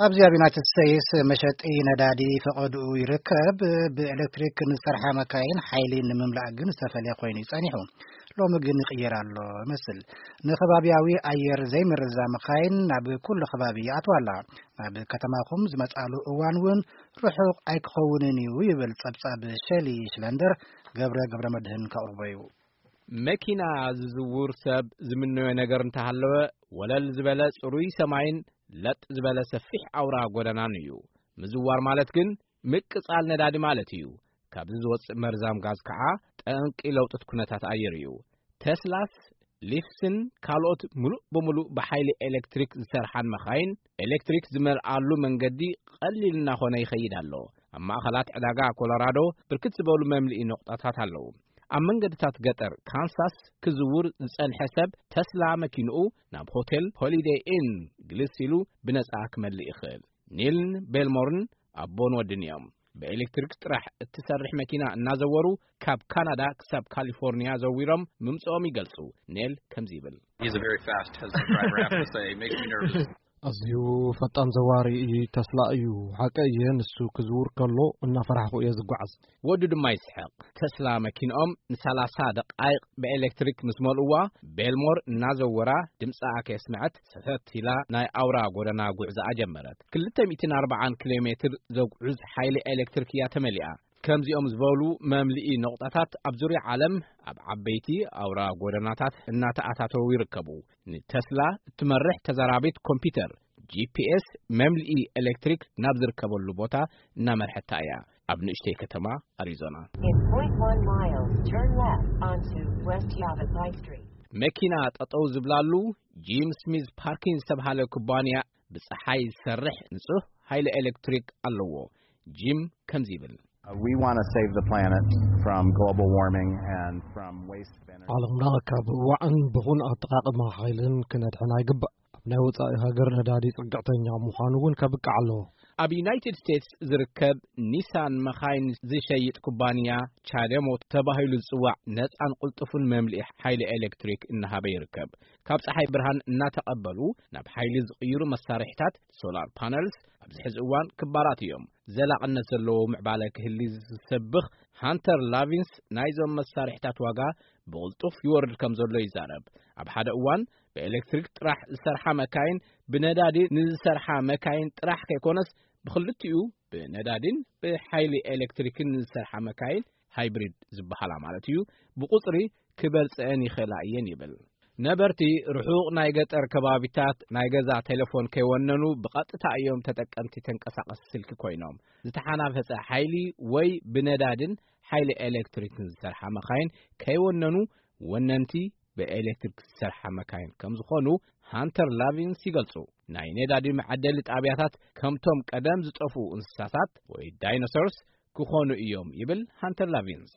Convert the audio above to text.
ኣብዚ ኣብ ዩናይትድ ስቴትስ መሸጢ ነዳዲ ፈቐድኡ ይርከብ። ብኤሌክትሪክ ንዝሰርሓ መካይን ሓይሊ ንምምላእ ግን ዝተፈልየ ኮይኑ እዩ ጸኒሑ። ሎሚ ግን ይቕየር ኣሎ ይመስል። ንከባቢያዊ ኣየር ዘይምርዛ መካይን ናብ ኩሉ ከባቢ ይኣትዋ ኣላ። ናብ ከተማኹም ዝመጻሉ እዋን እውን ርሑቕ ኣይክኸውንን እዩ ይብል ጸብጻብ ሸሊ ሽለንደር። ገብረ ገብረ መድህን ከቕርቦ እዩ። መኪና ዝዝውር ሰብ ዝምነዮ ነገር እንተሃለወ፣ ወለል ዝበለ ጽሩይ ሰማይን ለጥ ዝበለ ሰፊሕ ኣውራ ጎደናን እዩ። ምዝዋር ማለት ግን ምቅጻል ነዳዲ ማለት እዩ። ካብዚ ዝወጽእ መርዛም ጋዝ ከዓ ጠንቂ ለውጥት ኩነታት ኣየር እዩ። ቴስላስ ሊፍስን ካልኦት ምሉእ ብምሉእ ብሓይሊ ኤሌክትሪክ ዝሰርሓን መኻይን ኤሌክትሪክ ዝመልኣሉ መንገዲ ቀሊል እናኾነ ይኸይድ ኣሎ። ኣብ ማእኸላት ዕዳጋ ኮሎራዶ ብርክት ዝበሉ መምልኢ ነቑጣታት ኣለዉ። ኣብ መንገድታት ገጠር ካንሳስ ክዝውር ዝጸንሐ ሰብ ተስላ መኪንኡ ናብ ሆቴል ሆሊደይ ኢን ግልስ ኢሉ ብነጻ ክመልእ ይኽእል። ኒልን ቤልሞርን ኣቦን ወድን እዮም። ብኤሌክትሪክ ጥራሕ እትሰርሕ መኪና እናዘወሩ ካብ ካናዳ ክሳብ ካሊፎርኒያ ዘዊሮም ምምጽኦም ይገልጹ። ኔል ከምዚ ይብል። He's a very fast Tesla driver, I have to say. It makes me nervous. ኣዝዩ ፈጣን ዘዋሪ እዩ፣ ተስላ እዩ። ሓቂ እየ፣ ንሱ ክዝውር ከሎ እናፈራሕኩ እየ ዝጓዓዝ። ወዱ ድማ ይስሕቕ። ተስላ መኪንኦም ንሰላሳ ደቓይቕ ብኤሌክትሪክ ምስ መልእዋ፣ ቤልሞር እናዘወራ ድምጻኣ ከየስምዐት ሰተት ኢላ ናይ ኣውራ ጎደና ጉዕዛኣ ጀመረት። ክልተ ሚእትን ኣርባዓን ኪሎ ሜትር ዘጉዕዝ ሓይሊ ኤሌክትሪክ እያ ተመሊኣ። ከምዚኦም ዝበሉ መምልኢ ነቑጣታት ኣብ ዙርያ ዓለም ኣብ ዓበይቲ ኣውራ ጎደናታት እናተኣታተዉ ይርከቡ። ንተስላ እትመርሕ ተዛራቢት ኮምፒውተር፣ ጂ ፒ ኤስ፣ መምልኢ ኤሌክትሪክ ናብ ዝርከበሉ ቦታ እናመርሐታ እያ፣ ኣብ ንእሽተይ ከተማ ኣሪዞና። In point one miles, turn left onto West Yavapai Street. መኪና ጠጠው ዝብላሉ ጂም ስሚዝ ፓርኪንግ ዝተብሃለ ኩባንያ ብጸሓይ ዝሰርሕ ንጹህ ሓይሊ ኤሌክትሪክ ኣለዎ። ጂም ከምዚ ይብል። Uh, we want to save the planet from global warming and from waste of energy. ዓለምና ካብ ዋዕን ብኹን ኣጠቓቕማ ሓይልን ክነድሕና ይግባእ። ኣብ ናይ ወጻኢ ሃገር ነዳዲ ጽግዕተኛ ምዃኑ እውን ከብቅዕ ኣለዎ። ኣብ ዩናይትድ ስቴትስ ዝርከብ ኒሳን መኻይን ዝሸይጥ ኩባንያ ቻደሞ ተባሂሉ ዝጽዋዕ ነጻን ቅልጡፍን መምልኢ ሓይሊ ኤሌክትሪክ እናሃበ ይርከብ። ካብ ጸሓይ ብርሃን እናተቐበሉ ናብ ሓይሊ ዝቕይሩ መሳርሒታት፣ ሶላር ፓነልስ፣ ኣብዚ ሕዚ እዋን ክባራት እዮም። ዘላቕነት ዘለዎ ምዕባለ ክህሊ ዝሰብኽ ሃንተር ላቪንስ ናይዞም መሳርሒታት ዋጋ ብቕልጡፍ ይወርድ ከም ዘሎ ይዛረብ። ኣብ ሓደ እዋን ብኤሌክትሪክ ጥራሕ ዝሰርሓ መካይን ብነዳዲ ንዝሰርሓ መካይን ጥራሕ ከይኮነስ ብኽልቲኡ ብነዳዲን ብሓይሊ ኤሌክትሪክን ንዝሰርሓ መካይን ሃይብሪድ ዝበሃላ ማለት እዩ ብቁጽሪ ክበልጸአን ይኽእላ እየን ይብል። ነበርቲ ርሑቕ ናይ ገጠር ከባቢታት ናይ ገዛ ቴሌፎን ከይወነኑ ብቐጥታ እዮም ተጠቀምቲ ተንቀሳቐሲ ስልኪ ኮይኖም። ዝተሓናፈጸ ሓይሊ ወይ ብነዳድን ሓይሊ ኤሌክትሪክን ዝሰርሓ መኻይን ከይወነኑ ወነንቲ ብኤሌክትሪክ ዝሰርሓ መካይን ከም ዝኾኑ ሃንተር ላቪንስ ይገልጹ። ናይ ነዳዲ መዓደሊ ጣብያታት ከምቶም ቀደም ዝጠፍኡ እንስሳታት ወይ ዳይኖሶርስ ክኾኑ እዮም ይብል ሃንተር ላቪንስ።